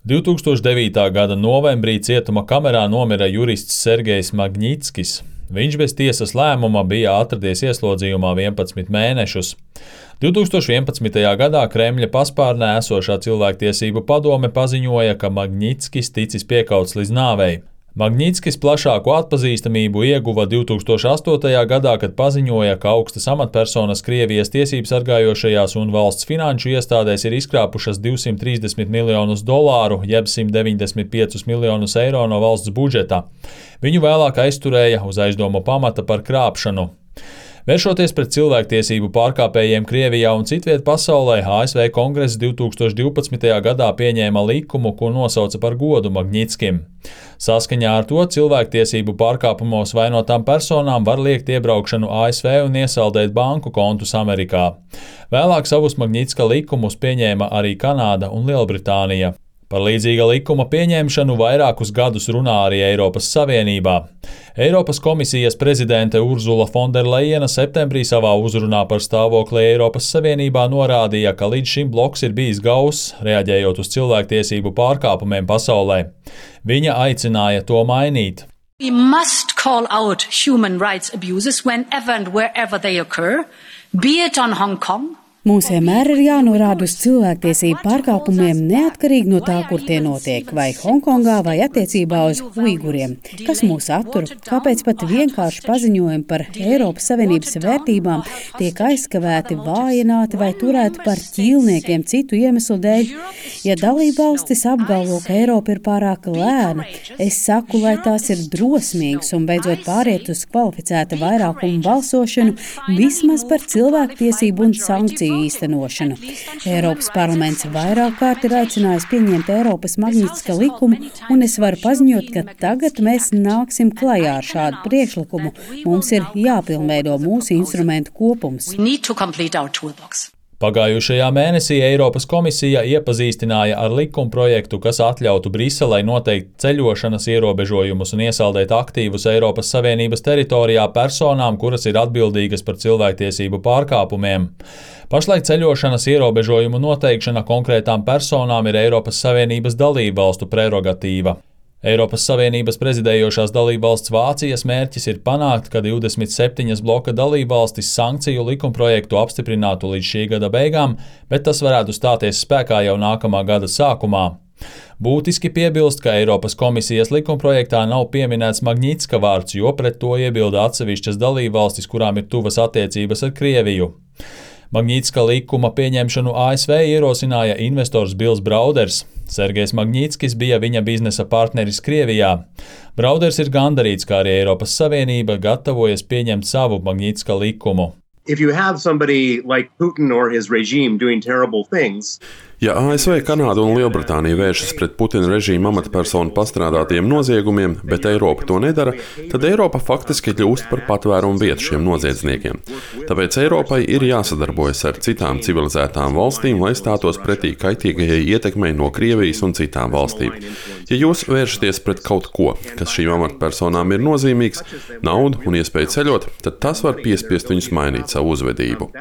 2009. gada novembrī cietuma kamerā nomira jurists Sergejs Magnitskis. Viņš bez tiesas lēmuma bija atradies ieslodzījumā 11 mēnešus. 2011. gadā Kremļa paspārnē esošā cilvēktiesību padome paziņoja, ka Magnitskis ticis piekauts līdz nāvei. Magnitskis plašāku atpazīstamību ieguva 2008. gadā, kad paziņoja, ka augstas amatpersonas Krievijas tiesību sargājošajās un valsts finanšu iestādēs ir izkrāpušas $230 miljonus, jeb 195 miljonus eiro no valsts budžeta. Viņu vēlāk aizturēja uz aizdomu pamata par krāpšanu. Vēršoties pret cilvēktiesību pārkāpējiem Krievijā un citviet pasaulē, ASV Kongress 2012. gadā pieņēma likumu, ko nosauca par godu Magnitskim. Saskaņā ar to cilvēktiesību pārkāpumos vainotām personām var liekt iebraukšanu ASV un iesaldēt banku kontus Amerikā. Vēlāk savus Magnitska likumus pieņēma arī Kanāda un Lielbritānija. Par līdzīga likuma pieņemšanu vairākus gadus runā arī Eiropas Savienībā. Eiropas komisijas prezidente Urzula Fonderlejena septembrī savā uzrunā par stāvokli Eiropas Savienībā norādīja, ka līdz šim bloks ir bijis gauss, reaģējot uz cilvēktiesību pārkāpumiem pasaulē. Viņa aicināja to mainīt. We must call out human rights abuses whenever and wherever they occur, be it on Hong Kong. Mums vienmēr ir jānorāda uz cilvēktiesību pārkāpumiem neatkarīgi no tā, kur tie notiek, vai Hongkongā, vai attiecībā uz uiguriem. Kas mūs attur? Kāpēc pat vienkārši paziņojumi par Eiropas Savienības vērtībām tiek aizskavēti, vājināti vai turēti par ķīlniekiem citu iemeslu dēļ? Ja dalībvalstis apgalvo, ka Eiropa ir pārāk lēna, es saku, lai tās ir drosmīgas un beidzot pāriet uz kvalificēta vairākumu balsošanu vismaz par cilvēktiesību un sankciju īstenošanu. Eiropas parlaments vairāk kārt ir aicinājis pieņemt Eiropas Magnitska likumu, un es varu paziņot, ka tagad mēs nāksim klajā ar šādu priekšlikumu. Mums ir jāpilnveido mūsu instrumentu kopums. Pagājušajā mēnesī Eiropas komisija iepazīstināja ar likumprojektu, kas atļautu Briselei noteikt ceļošanas ierobežojumus un iesaldēt aktīvus Eiropas Savienības teritorijā personām, kuras ir atbildīgas par cilvēktiesību pārkāpumiem. Pašlaik ceļošanas ierobežojumu noteikšana konkrētām personām ir Eiropas Savienības dalībvalstu prerogatīva. Eiropas Savienības prezidējošās dalībvalsts Vācijas mērķis ir panākt, ka 27 bloka dalībvalstis sankciju likumprojektu apstiprinātu līdz šī gada beigām, bet tas varētu stāties spēkā jau nākamā gada sākumā. Būtiski piebilst, ka Eiropas komisijas likumprojektā nav pieminēts Magnitska vārds, jo pret to iebilda atsevišķas dalībvalstis, kurām ir tuvas attiecības ar Krieviju. Magnitska likuma pieņemšanu ASV ierosināja investors Bills Brauders. Sergejs Magnitskis bija viņa biznesa partneris Krievijā. Brauders ir gandarīts, kā arī Eiropas Savienība gatavojas pieņemt savu Magnitska likumu. If you have somebody like Putin or his regime doing terrible things, ja ASV, Kanāda un Lielbritānija vēršas pret Putina režīma amatpersonu pastrādātiem noziegumiem, bet Eiropa to nedara, tad Eiropa faktiski kļūst par patvērumu vietu šiem noziedzniekiem. Tāpēc Eiropai ir jāsadarbojas ar citām civilizētām valstīm, lai stātos pretī kaitīgajai ietekmei no Krievijas un citām valstīm. Ja jūs vēršaties pret kaut ko, kas šīm amatpersonām ir nozīmīgs, naudu un iespēju ceļot, tad tas var piespiest viņus mainīt savu uzvedību.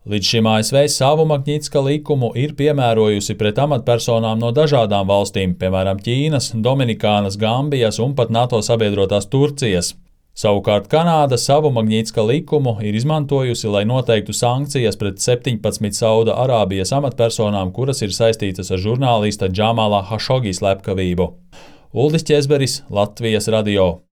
Līdz šim ASV savu Magnitska likumu ir piemērojusi pret amatpersonām no dažādām valstīm, piemēram Ķīnas, Dominikānas, Gambijas un pat NATO sabiedrotās Turcijas. Savukārt Kanāda savu Magnitska likumu ir izmantojusi, lai noteiktu sankcijas pret 17 Sauda Arābijas amatpersonām, kuras ir saistītas ar žurnālista Džamala Hašogi slepkavību. Uldis Ķezberis, Latvijas radio.